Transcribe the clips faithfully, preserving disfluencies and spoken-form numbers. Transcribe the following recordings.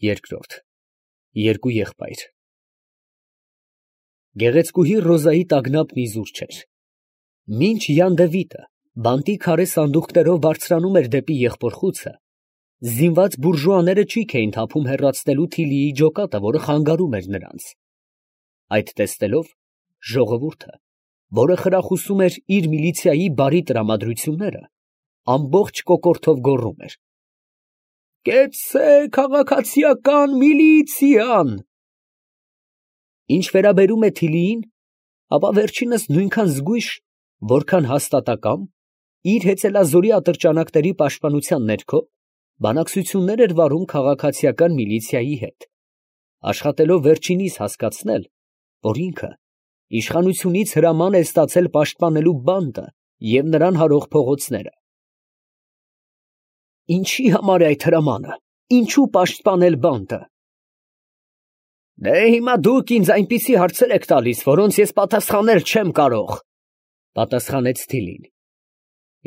Երկրորդ Երկու եղբայր Գեղեցկուհի Ռոզայի տագնապն իզուր չէր։ Մինչ Յան Դևիթը բանտի քարե սանդուղքներով բարձրանում էր դեպի եղբորխուցը, զինված բուրժուաները ճիգ էին թափում հեռացնելու Թիլիի ջոկատը, որը խանգարում էր նրանց։ Այդ տեսնելով, ժողովուրդը, որը խրախուսում էր իր միլիցիայի բարի տրամադրությունները, ամբողջ կոկորդով գոռում էր. «Կեցցե քաղաքացիական միլիցիան»։ Ինչ վերաբերում է Թիլիին, ապա վերջինս նույնքան զգույշ, որքան հաստատակամ, իր հեծելազորի ատրճանակների պաշտպանության ներքո բանակցություններ էր վարում քաղաքացիական միլիցիայի հետ, աշխատելով վերջինիս հասկացնել, որ ինքը իշխանությունից հրաման է ստացել պաշտպանելու բանտը և նրան հարող փողոցները։ Ինչի համար է այդ հրամանը, ինչու պաշտպանել բանտը։ Դե հիմա դուք ինձ այնպիսի հարցեր եք տալիս, որոնց ես պատասխանել չեմ կարող, պատասխանեց Թիլին։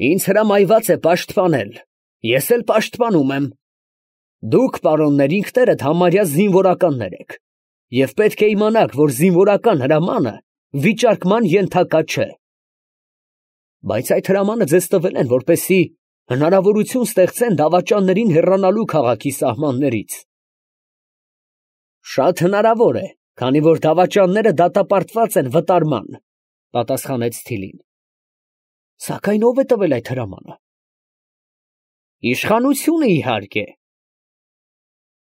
Ինձ հրամայված է պաշտպանել, ես էլ պաշտպանում եմ։ Դուք, պարոններ, ինքներդ համարյա զինվորականներ եք, և պետք է իմանաք, որ զինվորական հրամանը վիճարկման ենթակա չէ։ Բայց այդ հրամանը ձեզ տվել են, որպեսզի հնարավորություն ստեղծեն դավաճաններին հեռանալու քաղաքի սահմաններից։ Շատ հնարավոր է, քանի որ դավաճանները դատապարտված են վտարման, պատասխանեց Թիլին։ Սակայն ո՞վ է տվել այդ հրամանը։ Իշխանությունը, իհարկե։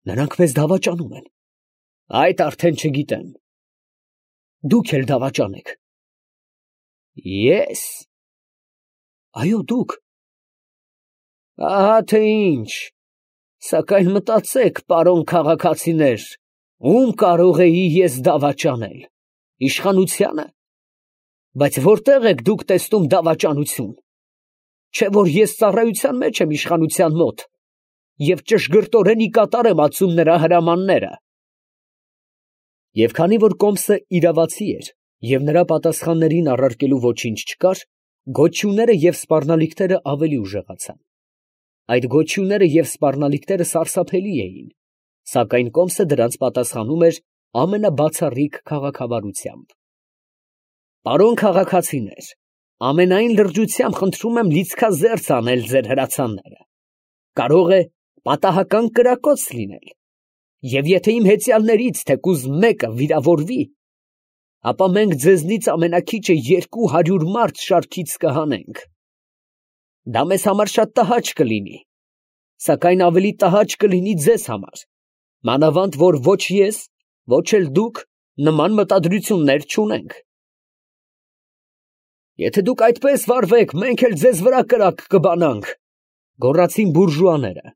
Նրանք մեզ դավաճանում են։ Այդ արդեն չգիտեմ։ Դուք էլ դավաճան եք։ Ես։ Այո, դուք։ Ահա թե ինչ։ Սակայն մտածեք, պարոն քաղաքացիներ, ում կարող էի ես դավաճանել, իշխանությանը։ Բայց որտեղ եք դուք տեսնում դավաճանություն։ Չէ որ ես ծառայության մեջ եմ իշխանության մոտ և ճշգրտորեն ի կատար եմ ածում նրա հրամանները։ Եվ քանի որ Կոմսը իրավացի էր և նրա պատասխաններին առարկելու ոչինչ չկար, գոչյունները և սպառնալիքները ավելի ուժեղացան։ Այդ գոչյունները և սպառնալիքները սարսափելի էին, սակայն Կոմսը դրանց պատասխանում էր ամենաբացառիկ քաղաքավարությամբ։ Պարոն քաղաքացիներ, ամենայն լրջությամբ խնդրում եմ լիցքազերծ անել ձեր հրացանները։ Կարող է պատահական կրակոց լինել, և եթե իմ հեծյալներից թեկուզ մեկը վիրավորվի, ապա մենք ձեզնից ամենաքիչը երկու հարյուր մարդ շարքից կհանենք։ Դա մեզ համար շատ տհաճ կլինի, սակայն ավելի տհաճ կլինի ձեզ համար, մանավանդ որ ոչ ես, ոչ էլ դուք նման մտադրություններ չունենք։ Եթե դուք այդպես վարվեք, մենք էլ ձեզ վրա կրակ կբանանք, գոռացին բուրժուաները։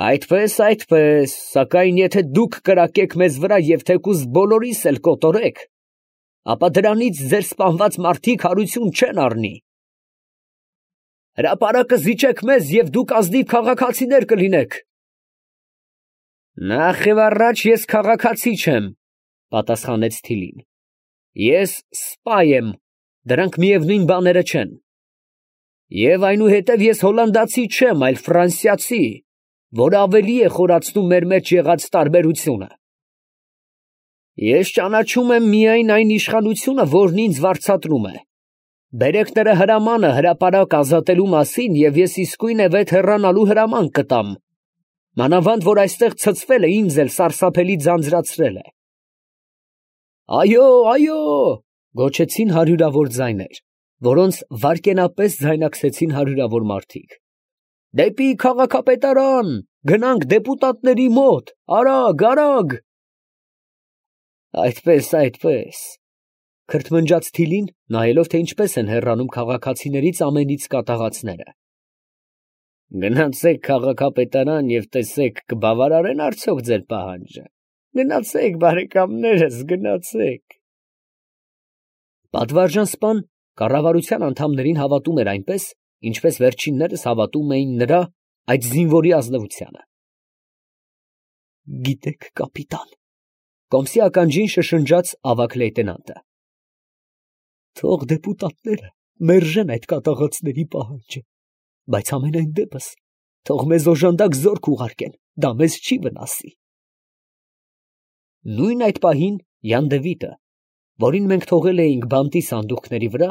Այդպես, այդպես, սակայն եթե դուք կրակեք մեզ վրա և թեկուզ բոլորիս էլ կոտորեք, ապա դրանից ձեր սպանված մարդիկ հարություն չեն առնի։ Հրապարակը զիջեք մեզ և դուք ազնիվ քաղաքացիներ կլինեք։ Նախ և առաջ ես քաղաքացի չեմ, պատասխանեց Թիլին։ Ես սպա եմ, դրանք միևնույն բաները չեն։ Եվ այնուհետև ես հոլանդացի չեմ, այլ ֆրանսիացի, որը ավելի է խորացնում մեր մեջ եղած տարբերությունը։ Ես ճանաչում եմ միայն այն իշխանությունը, որն ինձ վարձատրում է։ Բերեք նրա հրամանը հրապարակ ազատելու մասին, և ես իսկույնևեթ հեռանալու հրաման կտամ, մանավանդ որ այստեղ ցցվել է ինձ էլ սարսափելի ձանձրացրել է։ Այո, այո, գոչեցին հարյուրավոր ձայներ, որոնց վայրկենապես ձայնակցեցին հարյուրավոր մարդիկ։ Դեպի քաղաքապետարան, գնանք դեպուտատների մոտ, արագ, արագ։ Այդպես, այդպես, քրթմնջաց Թիլին, նայելով, թե ինչպես են հեռանում քաղաքացիներից ամենից կատաղածները։ Գնացեք քաղաքապետարան և տեսեք, կբավարարեն արդյոք ձեր պահանջը։ Գնացեք, բարեկամներս, գնացեք։ Պատվարժան սպան կառավարության անդամներին հավատում էր այնպես, ինչպես վերջիններս հավատում էին նրա այդ զինվորի ազնվությանը։ Գիտեք, կապիտան, Կոմսի ականջին շշնջաց ավագ լեյտենանտը, թող դեպուտատները մերժեն այդ կատաղածների պահանջը, բայց ամենայն դեպս Թող մեզ օժանդակ զորք ուղարկեն, դա մեզ չի վնասի։ Նույն այդ պահին Յան Դևիթը, որին մենք թողել էինք բանտի սանդուղքների վրա,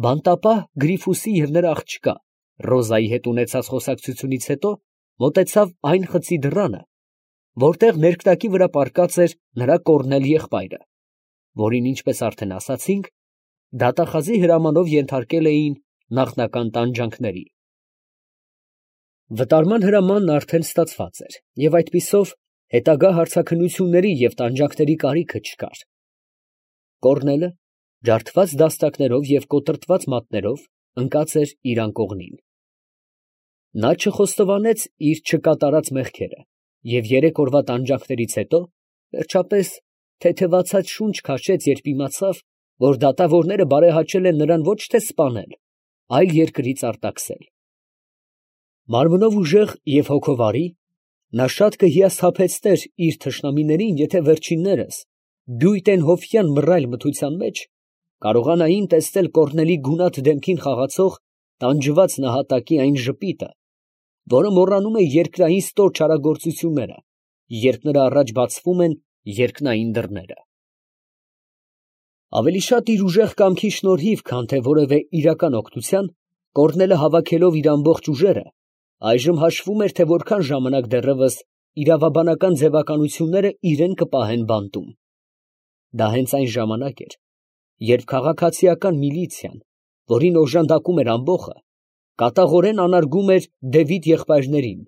բանտապահ Գրիֆուսի և նրա աղջկա Ռոզայի հետ ունեցած խոսակցությունից հետո մոտեցավ այն խցի դռանը, որտեղ ներքնակի վրա պառկած էր նրա կորնել եղբայրը, որին, ինչպես արդեն ասացինք, դատախազի հրամանով ենթարկել էին նախնական տանջանքների։ Վտարման հրամանն արդեն ստացված էր, և այդպիսով հետագա հարցաքննությունների և տանջանքների կարիքը չկար։ Կորնելը, ջարդված դաստակներով և կոտրտված մատներով, ընկած էր իր անկողնին։ Նա չխոստովանեց իր չկատարած մեղքերը և երեք օրվա տանջանքներից հետո, վերջապես, թեթևացած շունչ քաշեց, երբ իմացավ, որ դատավորները բարեհաճել են նրան ոչ թե սպանել, այլ երկրից արտաքսել։ Մարմնով ուժեղ և հոգով արի, նա շատ կհիասթափեցներ իր թշնամիներին, եթե վերջիններս, բյույտենհոֆյան մռայլ մթության մեջ, կարողանային տեսնել Կորնելի գունատ դեմքին խաղացող տանջված նահատակի այն ժպիտը, որը մոռանում է երկրային ստոր չարագործությունները, երբ նրա առաջ բացվում են երկնային դռները։ Ավելի շատ իր ուժեղ կամքի շնորհիվ, քան թե որևէ իրական օգնության, Կորնելը հավաքելով իր ամբողջ ուժերը, այժմ հաշվում էր, թե որքան ժամանակ դեռևս իրավաբանական ձևականությունները իրեն կպահեն բանտում։ Դա հենց այն ժամանակ էր, երբ քաղաքացիական միլիցիան, որին օժանդակում էր ամբոխը, կատաղորեն անարգում էր Դևիթ եղբայրներին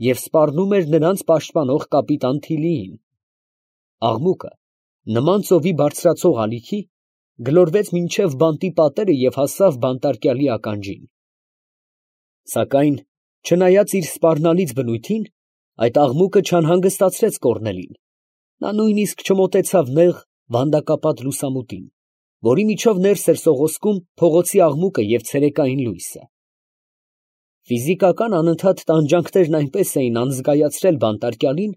և սպառնում էր նրանց պաշտպանող կապիտան Թիլիին։ Աղմուկը, նման ծովի բարձրացող ալիքի, գլորվեց մինչև բանտի պատերը և հասավ բանտարկյալի ականջին։ Սակայն, չնայած իր սպառնալից բնույթին, այդ աղմուկը չանհանգստացրեց Կորնելին. նա նույնիսկ չմոտեցավ նեղ, վանդակապատ լուսամուտին, որի միջով ներս էր սողոսկում փողոցի աղմուկը և ցերեկային լույսը։ Ֆիզիկական անընդհատ տանջանքներն այնպես էին անզգայացրել բանտարկյալին,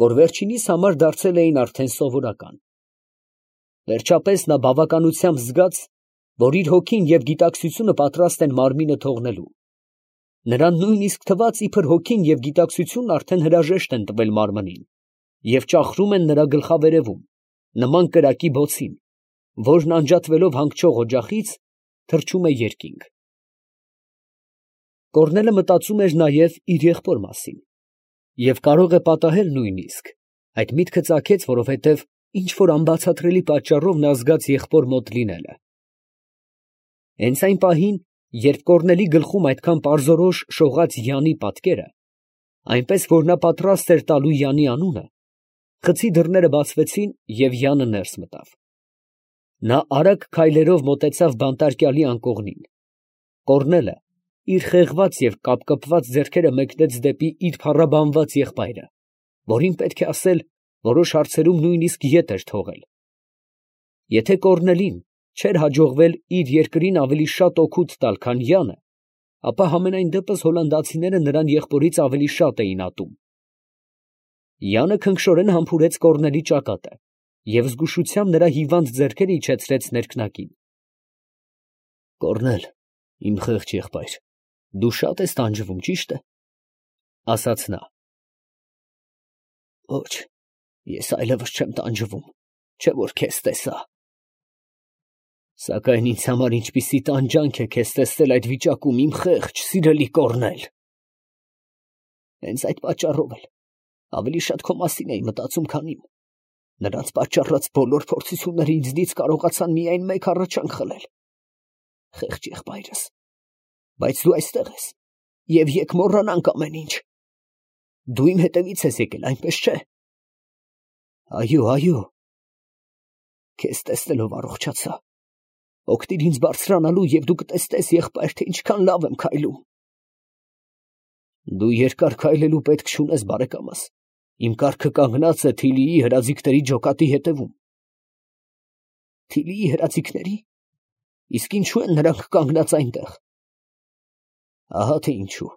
որ վերջինիս համար դարձել էին արդեն սովորական։ Վերջապես նա բավականությամբ զգաց, որ իր հոգին և գիտակցությունը պատրաստ են մարմինը թողնելու։ Նրան նույնիսկ թվաց, իբր հոգին և գիտակցությունն արդեն հրաժեշտ են տվել մարմնին և ճախրում են նրա գլխավերևում, նման կրակի բոցին, որն անջատվելով հանգչող օջախից, թռչում է երկինք։ Կորնելը մտածում էր նաև իր եղբոր մասին, և կարող է պատահել նույնիսկ, այդ միտքը ծագեց, որովհետև ինչ֊որ անբացատրելի պատճառով նա զգաց եղբոր մոտ լինելը։ Հենց այն պահին, երբ Կորնելի գլխում այդքան պարզորոշ շողաց Յանի պատկերը, այնպես որ նա պատրաստ էր տալու Յանի անունը, խցի դռները բացվեցին և Յանը ներս մտավ։ Նա արագ քայլերով մոտեցավ բանտարկյալի անկողնին։ Կորնելը իր խեղված և կապկպված ձեռքերը մեկնեց դեպի իր փառաբանված եղբայրը, որին, պետք է ասել, որոշ հարցերում նույնիսկ ետ էր թողել։ Եթե Կորնելին չէր հաջողվել իր երկրին ավելի շատ օգուտ տալ, քան Յանը, ապա համենայն դեպս հոլանդացիները նրան եղբորից ավելի շատ էին ատում։ Յանը քնքշորեն համբուրեց Կորնելի ճակատը և զգուշությամբ նրա հիվանդ ձեռքերը իջեցրեց ներքնակին։ «Կորնել, իմ խեղճ եղբայր, դու շատ ես տանջվում, ճի՞շտ է, ֊ ասաց նա։ ֊ Ոչ, ես այլևս չեմ տանջվում, չէ՞ որ քեզ տեսա։ ֊ Սակայն ինձ համար ինչպիսի տանջանք է քեզ տեսնել այդ վիճակում, իմ խեղճ, սիրելի Կորնել։ ֊ Հենց այդ պատճառով էլ ավելի շատ քո մասին էի մտածում, քան իմ. նրանց պատճառած բոլոր փորձությունները ինձնից կարողացան միայն մեկ առաջանք խլել։ Խեղճ եղբայրս, բայց դու այստեղ ես, և եկ մոռանանք ամեն ինչ։ Դու իմ հետևից ես եկել, այնպես չէ։ ֊ Այո, այո։ Քեզ տեսնելով առողջացա։ Օգնիր ինձ բարձրանալու, և դու կտեսնես, եղբայր, թե ինչքան լավ եմ քայլում։ ֊ Դու երկար քայլելու պետք չունես, բարեկամս, իմ կառքը կանգնած է Թիլիի հրաձիգների ջոկատի հետևում։ ֊ Թիլիի հրաձիգների՞, իսկ ինչո՞ւ են նրանք կանգնած այնտեղ։ ֊ Ահա թե ինչու,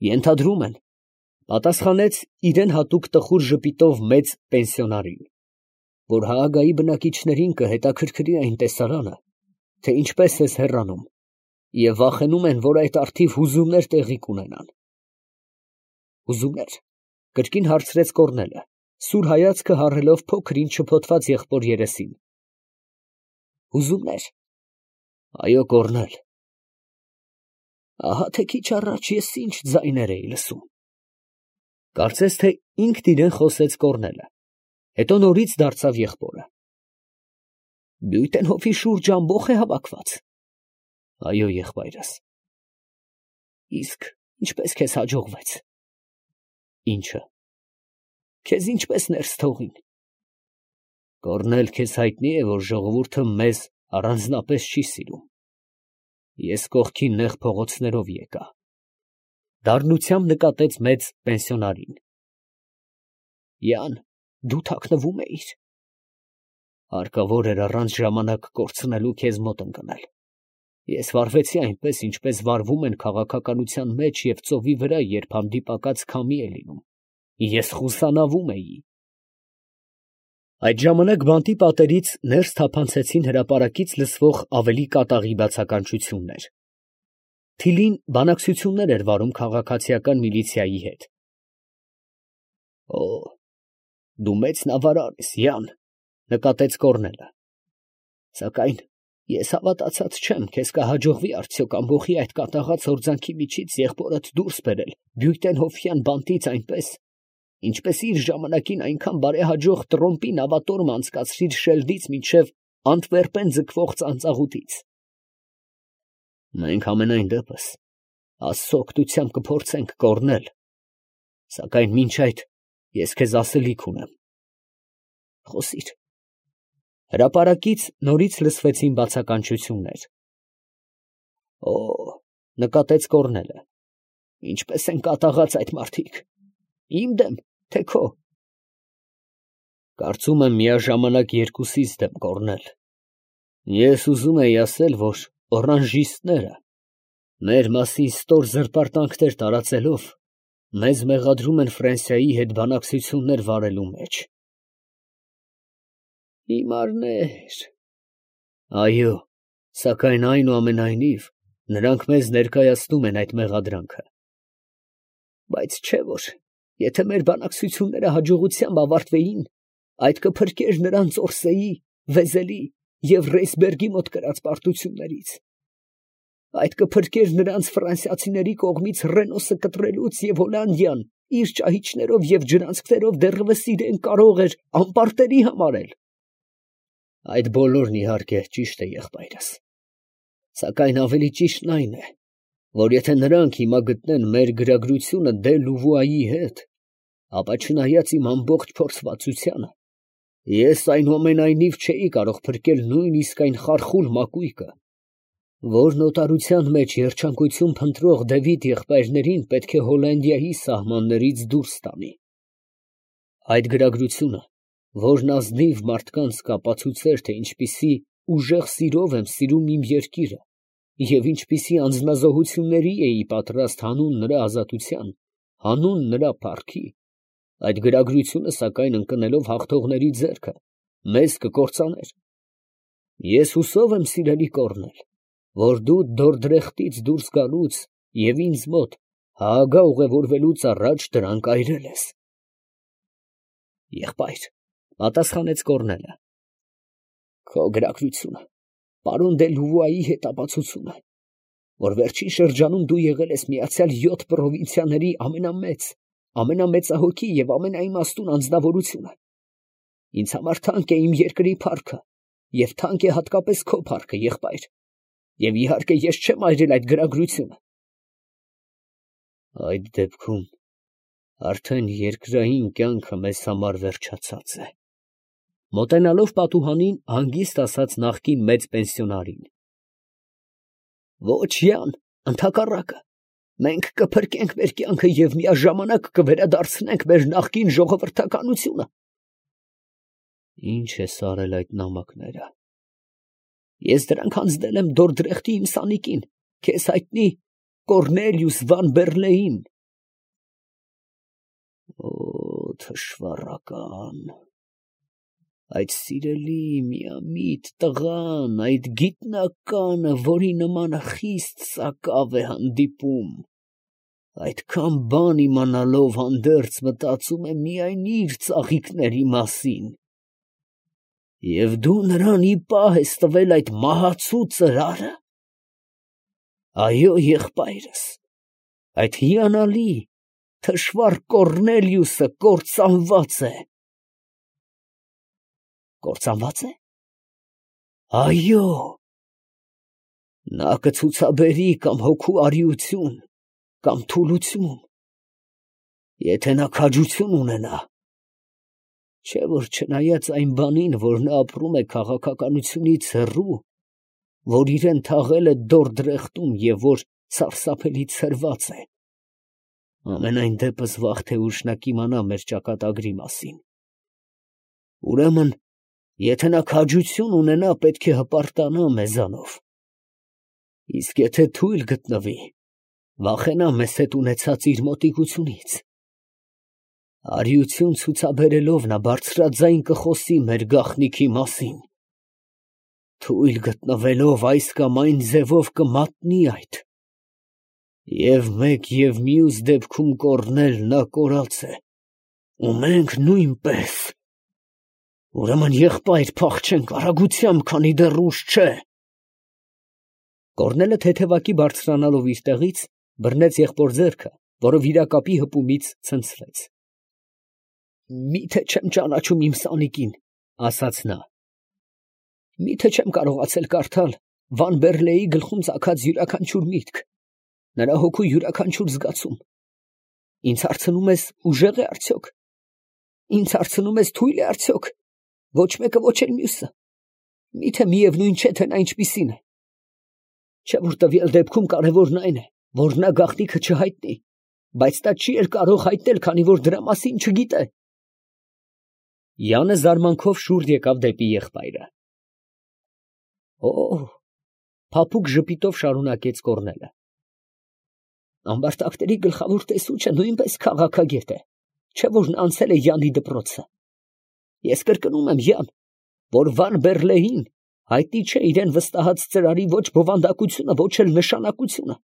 ենթադրում են, ֊ պատասխանեց իրան հատուկ տխուր ժպիտով մեծ պենսիոնարին, ֊ որ Հաագայի բնակիչներին կհետաքրքրի այն տեսարանը, թե ինչպես ես հեռանում, և վախենում են, որ այդ առթիվ հուզումներ տեղի կունենան։ Ուզումներ, կրկին հարցրեց Կոռնելը, սուր հայացքը հառելով փոքր ինչ շփոթված եղբոր երեսին։ Ուզումներ։ Այո, Կոռնել։ Ահա թե քիչ առաջ ես ինչ ձայներ էի լսում։ Կարծես թե ինքն իրեն խոսեց Կոռնելը, հետո նորից դարձավ եղբորը։ Բյուտենհոֆի շուրջ ամբոխ է հավաքված։ Այո, եղբայրս։ Իսկ ինչպես քեզ հաջողվեց։ Ինչը։ Քեզ ինչպես ներս թողին։ Կոռնել, քեզ հայտնի է, որ ժողովուրդը մեզ առանձնապես չի սիրում։ Ես կողքի նեղ փողոցներով եկա։ Դառնությամբ նկատեց մեծ պենսիոնարին։ Յան, դու թաքնվում էիր։ Հարկավոր էր առանց ժամանակ կորցնելու քեզ մոտ ընկնել։ Ես վարվեցի այնպես, ինչպես վարվում են քաղաքականության մեջ և ծովի վրա, երբ հանդիպակաց քամի է լինում։ Ես խուսանավում էի։ Այդ ժամանակ բանտի պատերից ներս թափանցեցին հրապարակից լսվող ավելի կատաղի բացականչություններ։ Թիլին բանակցություններ էր վարում քաղաքացիական միլիցիայի հետ։ Օ, դու մեծ նավարար ես, Յան, նկատեց Կոռնելը։ Սակայն ես հավատացած չեմ, քեզ կհաջողվի արդյոք ամբոխի այդ կատաղած հորձանքի միջից եղբորդ դուրս բերել բյուտենհոֆյան բանտից այնպես, ինչպես իր ժամանակին այնքան բարեհաջող Տրոմպի նավատորմ անցկացրիր Շելդից մինչև Անտվերպեն ձգվող ծանծաղուտից։ Մենք ամենայն դեպս Աստծո օգնությամբ կփորձենք, Կոռնել, սակայն մինչ այդ ես քեզ ասելիք ունեմ։ Խոսիր։ Հրապարակից նորից լսվեցին բացականչություններ։ Օ, նկատեց Կոռնելը, ինչպես են կատաղած այդ մարդիկ, իմ դեմ, թե քո։ Կարծում եմ միաժամանակ երկուսիս դեմ, Կոռնել։ Ես ուզում էի ասել, որ օրանժիստները մեր մասին ստոր զրպարտանքներ տարածելով մեզ մեղադրում են Ֆրանսիայի հետ բանակցություններ վարելու մեջ։ Հիմարներ։ Այո, սակայն այնուամենայնիվ նրանք մեզ ներկայացնում են այդ մեղադրանքը։ Բայց չէ որ, եթե մեր բանակցությունները հաջողությամբ ավարտվեին, այդ կփրկեր նրանց Օրսեի, Վեզելի և Ռեյսբերգի մոտ կրած պարտություններից։ Այդ կփրկեր նրանց ֆրանսիացիների կողմից Ռենոսը կտրելուց և Հոլանդիան իր ճահիճներով և ջրանցքներով դեռևս իրեն կարող էր անպարտելի համարել։ Այդ բոլորն իհարկե ճիշտ է, եղբայրս, սակայն ավելի ճիշտն այն է, որ եթե նրանք հիմա գտնեն մեր գրագրությունը դե Լուվուայի հետ, ապա չնայած իմ ամբողջ փորձվածությանը, ես այնուամենայնիվ չէի կարող փրկել նույնիսկ այն խարխուլ մակույկը, որ նոտարության մեջ երջանկություն փնտրող Դևիթ եղբայրներին պետք է Հոլանդիայի սահմաններից դուրս տանի։ Այդ գրագրությունը, որն ազնիվ մարդկանց կապացուցեր, թե ինչպիսի ուժեղ սիրով եմ սիրում իմ երկիրը և ինչպիսի անձնազոհությունների էի պատրաստ հանուն նրա ազատության, հանուն նրա փառքի, այդ գրագրությունը սակայն ընկնելով հաղթողների ձեռքը, մեզ կկործաներ։ Ես հուսով եմ, սիրելի Կոռնել, որ դու Դորդրեխտից դուրս գալուց և ինձ մոտ Հաագա ուղևորվելուց առաջ դրանք այրել ես։ Եղբայր, պատասխանեց Կոռնելը, քո գրագրությունը պարոն դե Լուվուայի հետ ապացուցում է, որ վերջին շրջանում դու եղել ես միացյալ յոթ պրովինցիաների ամենամեծ, ամենամեծահոգի և ամենաիմաստուն անձնավորությունը։ Ինձ համար թանկ է իմ երկրի փառքը և թանկ է հատկապես քո փառքը, եղբայր, և իհարկե ես չեմ այրել այդ գրագրությունը։ Այդ դեպքում արդեն երկրային կյանքը մեզ համար վերջացած է, մոտենալով պատուհանին հանգիստ ասաց նախկին մեծ պենսիոնարին։ Ոչ, Յան, ընդհակառակը, մենք կփրկենք մեր կյանքը և միաժամանակ կվերադարձնենք մեր նախկին ժողովրդականությունը։ Ինչ ես արել այդ նամակները։ Ես դրանք հանձնել եմ Դորդրեխտի իմ սանիկին, քեզ հայտնի Կոռնելիուս վան Բեռլեին։ Օ, թշվառական, այդ սիրելի միամիտ տղան, այդ գիտնականը, որի նմանը խիստ սակավ է հանդիպում, այդքան բան իմանալով հանդերձ մտածում է միայն իր ծաղիկների մասին։ Եվ դու նրան ի պահ ես տվել այդ մահացու ծրարը։ Այո, եղբայրս, այդ հիանալի, թշվառ Կոռնելիուսը կործանված է։ Կործանվա՞ծ է։ Այո, նա կցուցաբերի կամ հոգու արիություն, կամ թուլություն, եթե նա քաջություն ունենա, չէ՞ որ չնայած այն բանին, որ նա ապրում է քաղաքականությունից հեռու, որ իրեն թաղել է դորդրեխտում և որ սարսափելի ցրված է, ամենայն դեպս վաղ թե ուշ նա կիմանա մեր ճակատագրի մասին։ Ուրեմն, եթե նա քաջություն ունենա, պետք է հպարտանա մեզանով, իսկ եթե թույլ գտնվի, վախենա մեզ հետ ունեցած իր մոտիկությունից։ Արիություն ցուցաբերելով նա բարձրաձայն կխոսի մեր գաղտնիքի մասին, թույլ գտնվելով այս կամ այն ձևով կմատնի այդ, և մեկ և մյուս դեպքում կոռնել նա կորած է, ու մենք նույնպես։ Ուրեմն, եղբայր, փախչենք արագությամբ, քանի դեռ ուշ չէ։ Կոռնելը թեթևակի բարձրանալով իր տեղից, բռնեց եղբոր ձեռքը, որը վիրակապի հպումից ցնցվեց։ Մի՞թե չեմ ճանաչում իմ սանիկին, ասաց նա։ Մի՞թե չեմ կարողացել կարդալ Վան Բերլեի գլխում ծագած յուրաքանչյուր միտք, նրա հոգու յուրաքանչյուր զգացում։ Ինձ հարցնում ես, ուժեղ է արդյոք։ Ինձ հարցնում ես, թույլ է արդյոք։ Ոչ մեկը, ոչ էլ մյուսը։ Մի՞թե միևնույն չէ, թե նա ինչպիսին է։ Չէ՞ որ տվյալ դեպքում կարևորն այն է, որ նա գաղտնիքը չհայտնի, բայց նա չի էլ կարող հայտնել, քանի որ դրա մասին չգիտե։ Յանը զարմանքով շուռ եկավ դեպի եղբայրը։ Օ՜, փափուկ ժպիտով շարունակեց Կոռնելը։ Ամբարտակների գլխավոր տեսուչը նույնպես քաղաքագետ է, չէ՞ որ նա անցել է Յանի դպրոցը։ Ես կրկնում եմ, Յան, որ Վան Բերլեին հայտնի չէ իրան վստահած ծրարի ոչ բովանդակությունը, ոչ էլ նշանակությունը։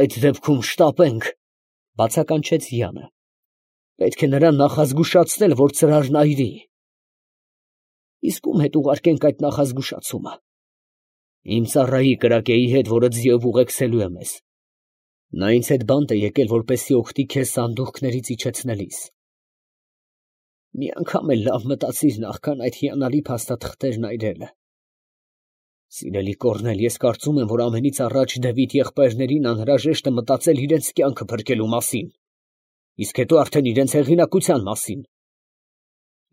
Այդ դեպքում շտապենք, բացականչեց Յանը։ Պետք է նրան նախազգուշացնել, որ ծրարն այրի։ Իսկ ում հետ ուղարկենք այդ նախազգուշացումը։ Իմ ծառայի կրակեի հետ, որը ձիով ուղեկցելու է մեզ։ Նա ինձ հետ բանտ է եկել, որպեսզի օգտի քեզ սանդուղքներից իջեցնելիս։ Մի անգամ էլ լավ մտածիր նախքան այդ հիանալի փաստաթղթերն այրելը։ Սիրելի Կոռնել, ես կարծում եմ, որ ամենից առաջ Դևիթ եղբայրներին անհրաժեշտ է մտածել իրենց կյանքը փրկելու մասին, իսկ հետո արդեն իրենց հեղինակության մասին։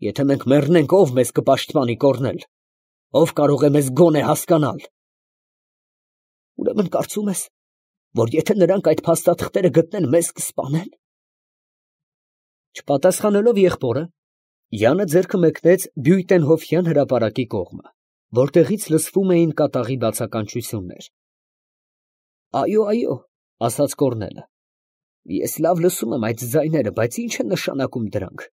Եթե մենք մեռնենք, ով մեզ կպաշտպանի, Կոռնել, ով կարող է մեզ գոնե հասկանալ։ Ուրեմն կարծում ես, որ եթե նրանք այդ փաստաթղթերը գտնեն, մեզ կսպանեն։ Չպատասխանելով եղբորը, Յանը ձեռքը մեկնեց Բյուտենհոֆյան հրապարակի կողմը, որտեղից լսվում էին կատաղի բացականչություններ։ Այո, այո, ասաց Կոռնելը, ես լավ լսում եմ այդ ձայները, բայց ի՞նչ են նշանակում դրանք։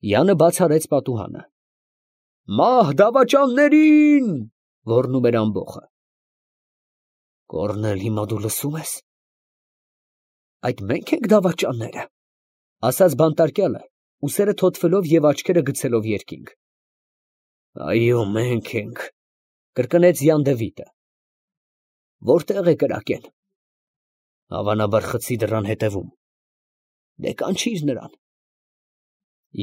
Յանը բաց արեց պատուհանը։ Մահ դավաճաններին, ոռնում էր ամբոխը։ Կոռնել, հիմա դու լսում ես։ Այդ մենք ենք դավաճանները, ասաց բանտարկյալը, ուսերը թոթվելով և աչքերը գցելով երկինք։ Այո, մենք ենք, կրկնեց Յան Դևիթը։ Որտեղ է կրակեն։ Հավանաբար խցի դռան հետևում։ Դե կանչիր նրան։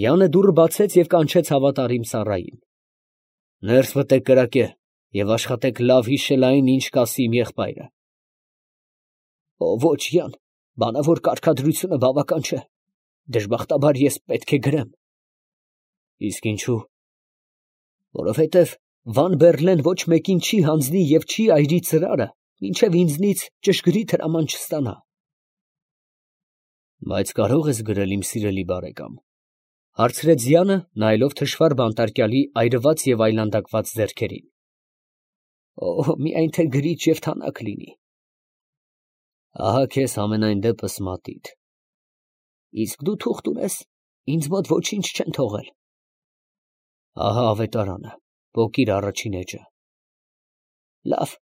Յանը դուռը բացեց և կանչեց հավատարիմ ծառային։ Ներս մտեք կրակե և աշխատեք լավ հիշել այն, ինչ կասի իմ եղբայրը։ Օ, ոչ, Յան, բանավոր կարգադրությունը բավական չէ։ Դժբախտաբար ես պետք է գրեմ։ Իսկ ինչու։ Որովհետև Վան Բերլեն ոչ մեկին չի հանձնի և չի այրի ծրարը, մինչև ինձնից ճշգրիտ հրաման չստանա։ Բայց կարո՞ղ ես գրել, իմ սիրելի բարեկամ, հարցրեց Յանը, նայելով թշվառ բանտարկյալի այրված և այլանդակված ձեռքերին։ Օ, միայն թե գրիչ և թանաք լինի։ Ահա քեզ համենայն դեպս մատիտ։ Իսկ դու թուղթ ունես, ինձ մոտ ոչինչ չեն թողել։ Ահա ավետարանը, պոկիր առաջին էջը։ Լավ,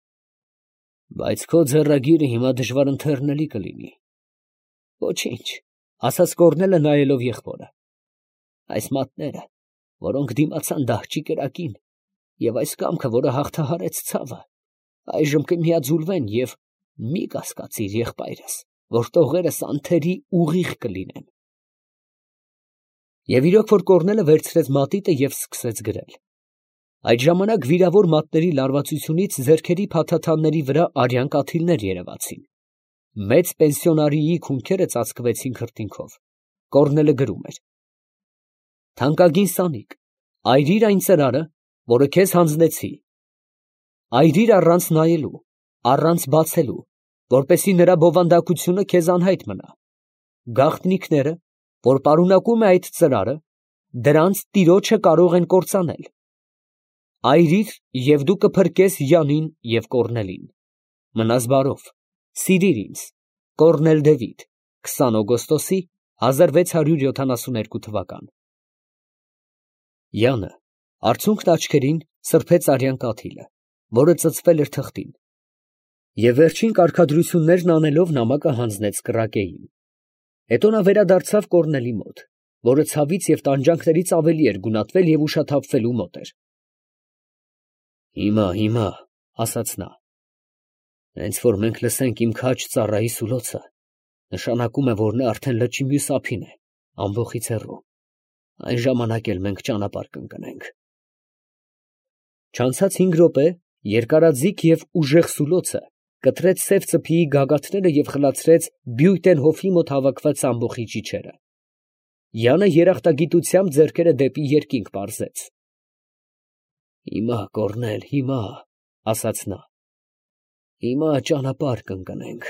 Բայց քո ձեռագիրը հիմա դժվար ընթեռնելի կլինի։ Ոչինչ, Ասաց Կորնելը նայելով եղբորը։ այս մատները, որոնք դիմացան դահճի կրակին, և այս կամքը, որը հաղթահարեց ցավը, այժմ կմիաձուլվեն և մի կասկածիր, եղբայրս, որ տողերս անթերի ուղիղ կլինեն։ Եվ իրոք որ Կորնելը վերցրեց մատիտը և սկսեց գրել։ Այդ ժամանակ վիրավոր մատների լարվածությունից ձեռքերի փաթաթանների վրա արյան կաթիլներ երևացին։ Մեծ պենսիոնարիի քունքերը ծածկվեցին քրտինքով։ Կորնելը գրում էր. «Թանկագին Սանիկ, այրիր այն ծրարը, որը քեզ հանձնեցի. այրիր առանց նայելու, առանց բացելու, որպեսզի նրա բովանդակությունը քեզ անհայտ մնա։ Գաղտնիքները, որ պարունակում է այդ ծրարը, դրանց տիրոջը կարող են կործանել։ Այրիր, և դու կփրկես Յանին և Կորնելին։ Մնաս բարով, սիրիր ինձ։ Կորնել Դևիթ, քսան օգոստոսի հազար վեց հարյուր յոթանասունհինգ թվական»։ Յանը արցունքն աչքերին սրբեց արյան կաթիլը, որը ծծվել էր թղթին, և վերջին կարգադրություններն անելով նամակը հանձնեց կռակեին։ Հետո նա վերադարձավ Կորնելի մոտ, որը ցավից և տանջանքներից ավելի էր գունատվել և ուշաթափվելու մոտ էր։ «Հիմա, հիմա, ֊ ասաց նա, ֊ հենց որ մենք լսենք իմ քաջ ծառայի սուլոցը, նշանակում է, որ նա արդեն լճի մյուս ափին է, ամբոխից հեռու, այն ժամանակ էլ մենք ճանապարհ կընկնենք»։ Չանցած հինգ րոպե երկարաձիգ և ուժեղ սուլոցը կտրեց սև ծփիի գագաթները և խլացրեց Բյույտենհոֆի մոտ հավաքված ամբոխի ճիչերը։ Յանը երախտագիտությամբ ձեռքերը դեպի երկինք պարզեց։ «Հիմա, Կորնել, հիմա, ֊ ասաց նա, ֊ հիմա ճանապարհ կընկնենք»։